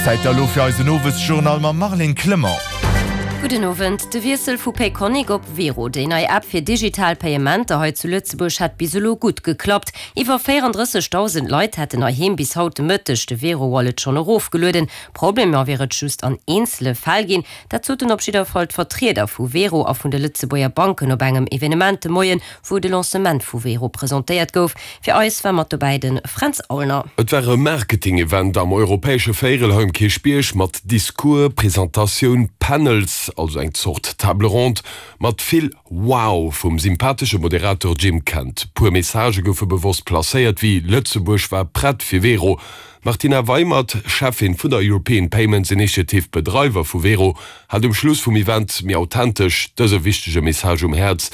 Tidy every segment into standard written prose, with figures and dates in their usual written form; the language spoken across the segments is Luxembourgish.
Zäit da lo fir eisen Owesjournal mam Marlene Clement. Gudden Owend. De Wiessel vu Payconiq op Wero, déi nei App fir digital Payementer hei zu Lëtzebuerg, hätt bis elo gutt geklappt. Iwwer 34.000 Leit hätten heiheem bis haut de Mëtteg de Wero Wallet schonn erofgelueden. Problemer wier et just an eenzele Fäll ginn. Dat soten op jidder Fall d'Vertrieder vu Wero a vun de Lëtzebuerger Banken op engem Evenement de Moien, wou de Lancement vu Wero presentéiert gouf. Fir eis war mat dobäi de Fränz Aulner. Et war e Marketing-Event am europäesche Véierel hei um Kierchbierg mat Discours, Presentatioun, Panels, also eng Zort Table ronde, mat vill Wow vum sympathesche Moderator Jim Kent. Puer Messagë goufe bewosst placéiert, wéi Lëtzebuerg war prett fir Wero. D'Martina Weimert, Cheffin vun der European Payments Initiative, Bedreiwer vu Wero, hat um Schluss vum Event méi authentesch dëse wichtege Message um Häerz,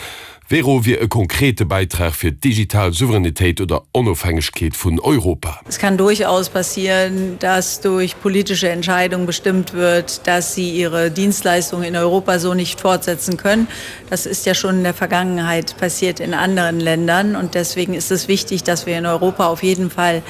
Wero wier e konkrete Bäitrag fir d'digital Souveränitéit oder Onofhängegkeet vun Europa. Es kann durchaus passieren, dass durch politische Entscheidungen bestimmt wird, dass sie ihre Dienstleistungen in Europa so nicht fortsetzen können. Das ist ja schon in der Vergangenheit passiert in anderen Ländern und deswegen ist es wichtig, dass wir in Europa auf jeden Fall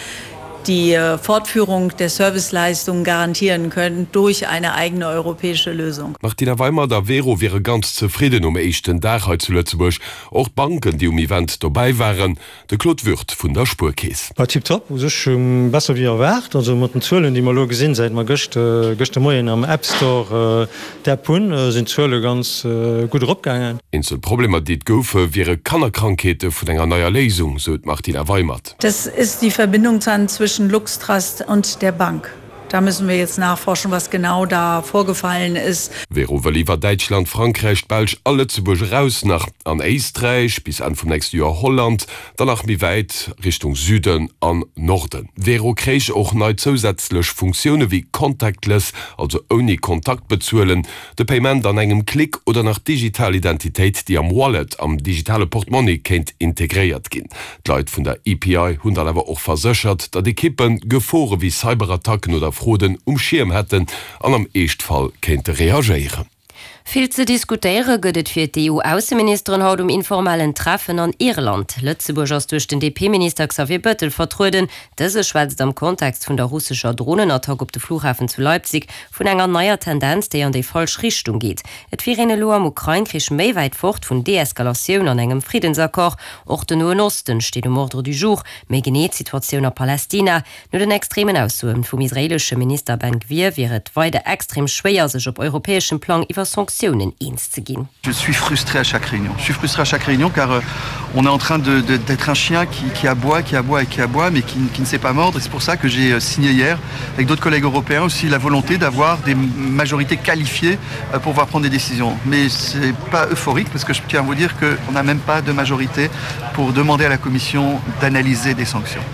die äh, Fortführung der Serviceleistungen garantieren können durch eine eigene europäische Lösung. Martina Weimert a Wero wiere ganz zefridden nom éischten Dag hei zu Lëtzebuerg. Och d'Banken, déi um Event dobäi waren. De Claude Wirth vun der Spuerkeess. War tiptop, u sech besser wéi erwaart. Also mat den Zuelen, déi mer elo gesinn, säit mer gëscht, gëscht de Moien am App Store d'App hunn, sinn d'Zuele ganz gutt eropgaangen. Eenzel Problemer, déi et goufe, wiere Kannerkrankheete vun enger neier Léisung, sou d'Martina Weimert. Das ist die Verbindung dann zwischen Luxtrust und der Bank. Da müssen wir jetzt nachforschen, was genau da vorgefallen ist. Wero wëll iwwer Däitschland, Frankräich, d'Belsch a Lëtzebuerg eraus nach an Éisträich, bis Enn vum nächste Joer Holland, dann nach méi wäit Richtung Süden an Norden. Wero kréich och nei zousätzlech Funktioune wéi contactless, also ouni Kontakt bezuelen, de Payment an engem Klick oder nach d'digital Identitéit, déi am Wallet, am digitale Portmonni kéint integréiert ginn. D'Leit vun der EPI hunn dann awer och verséchert, datt Ekippe Gefore wéi Cyberattacken oder Fraude um Schierm hätten an am Eeschtfall kéinte reagéieren. Vill ze diskutéiere gëtt et fir d'EU-Ausseministeren haut um informellen Treffen an Irland. Lëtzebuerg ass duerch den DP-Minister Xavier Bettel vertrueden. Dëse schwätzt am Kontext vun der russescher Dronenattack op de Flughafen zu Leipzig vun enger neier Tendenz, déi an déi falsch Richtung geet. Et wier een elo am Ukrain-Krich méi wäit fort vun Deeskalatioun an engem Friddensaccord. Och den Noen Osten steet um Ordre du jour, méi genee d'Situatioun a Palästina. No den extremen Aussoe vum israeelesche Minister Ben Gvir wier et weider extrem schwéier, sech op europäeschem Plang iwwer Sanktiounen eens ze ginn. Je suis frustré à chaque réunion. Je suis frustré à chaque réunion car on est en train de, de, d'être un chien qui, qui aboie, qui aboie et qui aboie, mais qui, qui ne sait pas mordre. Et c'est pour ça que j'ai signé hier avec d'autres collègues européens aussi la volonté d'avoir des majorités qualifiées pour pouvoir prendre des décisions. Mais c'est pas euphorique parce que je tiens à vous dire qu'on n'a même pas de majorité pour demander à la Commission d'analyser des sanctions.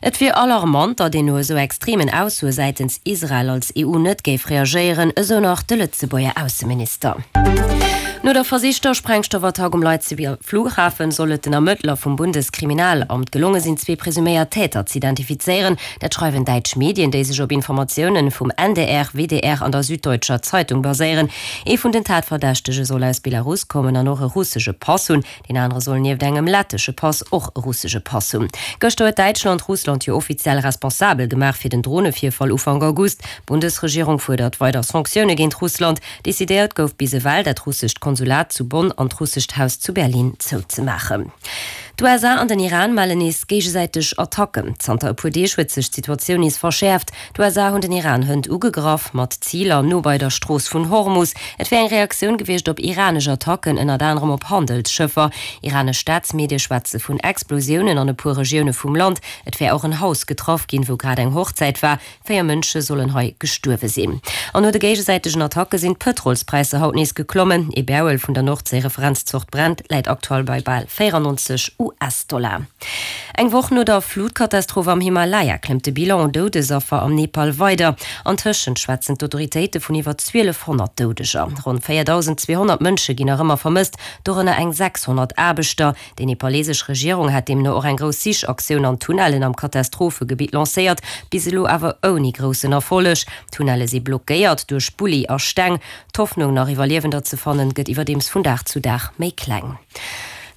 Et wier alarmant, datt een no esou extremen Aussoe säitens Israel als EU net géif reagéieren, esou nach de Lëtzebuerger Ausseminister. No der versichter Sprengstoffattack um Leipziger Flughafen soll et den Ermëttler vum Bundeskriminalamt gelonge sinn, zwee presuméiert Täter z'identifizéieren. Dat schreiwen däitsch Medien, déi sech op Informatiounen vum NDR, WDR an der Süddeutscher Zeitung baséieren. Ee vun den Tatverdächtege soll aus Belarus kommen an och e russesche Pass hunn. Deen anere soll nieft engem lettesche Pass och e russesche Pass hunn. Gëschter huet Däitschland Russland jo offiziell responsabel gemaach fir den Dronevirfall Ufank August. D'Bundesregierung fuerdert weider Sanktioune géint Russland. Decidéiert gouf bis ewell, dat russescht Konsulat zu Bonn an d'russescht Haus zu Berlin zouzemaachen. D'USA an den Iran mellen nees géigesäiteg Attacken. Zanter e puer Deeg huet sech d'Situatioun nees verschäerft. D'USA hunn den Iran hënt ugegraff, mat Ziler no bei der Strooss vun Hormus. Et wier eng Reaktioun gewiescht op iranesch Attacken, ënnert anerem op Handelsschëffer. Iranesch Staatsmedie schwätze vun Explosiounen an e puer Regioune vum Land. Et wär och en Haus getraff ginn, wou grad eng Hochzäit war. 4 Mënsche sollen hei gestuerwe sinn. An no de géigesäitegen Attacke sinn d'Pëtrolspräisser haut nees geklommen. Ee Barrel vun der Nordséi-Referenzzort Brent läit aktuell bei bal 94 US-Dollar. Eng Woch no der Flutkatastroph am Himalaya klëmmt de Bilan un Doudesaffer am Nepal weider. Antëschent schwätzen d'Autoritéite vun iwwer 1.200 Doudeger. Ronn 4.200 Mënsche ginn nach ëmmer vermësst, dorënner eng 600 Aarbechter. Déi nepalesesch Regierung hat deemno och eng grouss Sichaktioun an Tunnellen am Katastrophegebitt lancéiert, bis elo awer ouni groussen Erfolleg. D'Tunnelle si blockéiert duerch Bulli a Steng. D'Hoffnung, nach Iwwerliewender ze fannen, gëtt iwwerdeems vun Dag zu Dag méi kleng.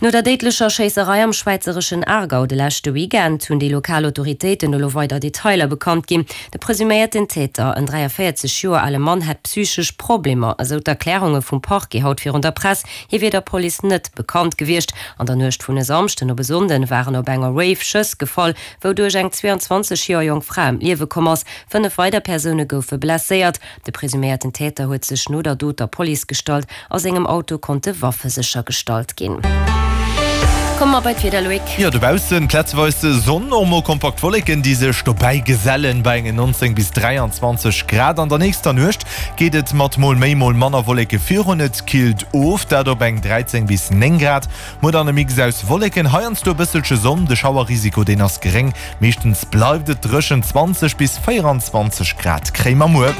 No der déidlecher Schéisserei am schwäizereschen Aargau de leschte Weekend hunn déi lokal Autoritéiten elo weider Detailer bekannt ginn. De presuméierten Täter, en 43 Joer ale Mann, hätt psychesch Problemer, esou d'Erklärunge vum Parquet haut virun der Press. Hie wier der Police net bekannt gewiescht. An der Nuecht vun e Samschden op e Sonnden waren op enger Rave Schëss gefall, wouduerch eng 22 Joer jonk Fra ëm d'Liewe komm ass. 5 weider Persoune goufe blesséiert. De presuméierten Täter huet sech no der Dot der Police gestallt. A sengem Auto konnte Waffe séchergestallt ginn. Komme mer bei d'Wieder, Loïc. Jo, dobaussen plazeweis Sonn, och mol kompakt Wolleken, déi sech dobäi gesellen bei engen 19 bis 23 Grad. An der nächster Nuecht geet et mat mol méi, mol manner Wolleke virun, et killt of, dat op eng 13 bis 9 Grad. Muer dann e Mix aus Wolleken, heiansdo e bësselche Sonn, de Schauerrisiko deen ass geréng. Meeschtens bleift et dréchen, 20 bis 24 Grad kréie mer muer.